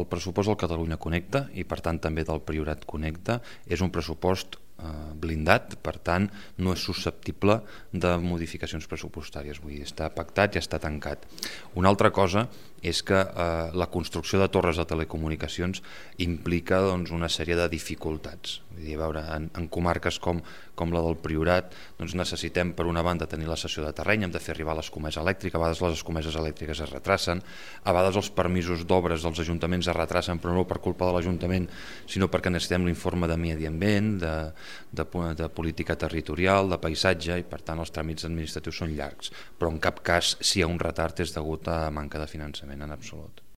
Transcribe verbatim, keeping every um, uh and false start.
el pressupost del Catalunya Connecta i per tant també del Priorat Connecta és un pressupost blindat, per tant no és susceptible de modificacions pressupostàries, vull dir, està pactat i està tancat. Una altra cosa és que eh, la construcció de torres de telecomunicacions implica doncs, una sèrie de dificultats. Vull dir, a veure, en, en comarques com, com la del Priorat doncs necessitem per una banda tenir la cessió de terreny, hem de fer arribar l'escomesa elèctrica, a vegades les escomeses elèctriques es retracen, a vegades els permisos d'obres dels ajuntaments es retracen, però no per culpa de l'Ajuntament, sinó perquè necessitem l'informe de medi ambient, de, de, de política territorial, de paisatge, i per tant els tràmits administratius són llargs, però en cap cas si hi ha un retard és degut a manca de finançament en absolut.